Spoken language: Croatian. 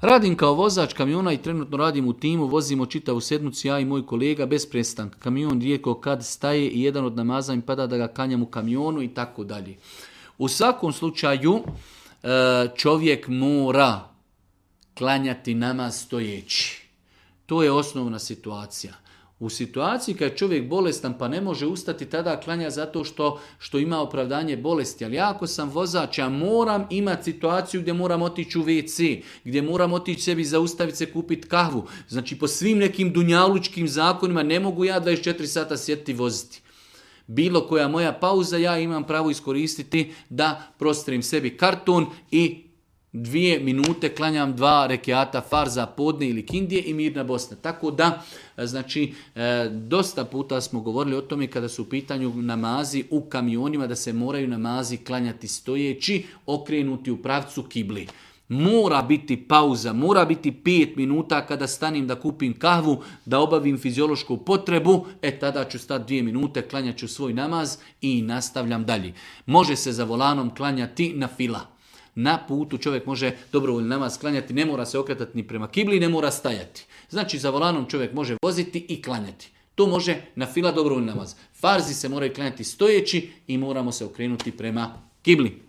Radim kao vozač kamiona i trenutno radim u timu, vozimo čitavu sedmicu, ja i moj kolega bez prestanka. Kamion rijetko kad staje i jedan od namaza im pada da ga klanjam u kamionu i tako dalje. U svakom slučaju čovjek mora klanjati namaz stojeći. To je osnovna situacija. U situaciji kad je čovjek bolestan pa ne može ustati, tada klanja zato što ima opravdanje bolesti. Ali ja ako sam vozač, ja moram imati situaciju gdje moram otići u WC, gdje moram otići sebi zaustaviti se, kupiti kahvu. Znači po svim nekim dunjalučkim zakonima ne mogu ja 24 sata sjediti i voziti. Bilo koja moja pauza, ja imam pravo iskoristiti da prostrim sebi karton i 2 minute klanjam 2 rekiata farza podne ili kindije i mirna Bosna. Tako da, znači, dosta puta smo govorili o tome kada su u pitanju namazi u kamionima, da se moraju namazi klanjati stojeći, okrenuti u pravcu kibli. Mora biti pauza, mora biti 5 minuta kada stanim da kupim kahvu, da obavim fiziološku potrebu, tada ću stati 2 minute, klanjat ću svoj namaz i nastavljam dalje. Može se za volanom klanjati na fila. Na putu čovjek može dobrovoljno namaz klanjati, ne mora se okretati ni prema kibli, ne mora stajati. Znači za volanom čovjek može voziti i klanjati. To može na fila dobrovoljno namaz. Farzi se moraju klanjati stojeći i moramo se okrenuti prema kibli.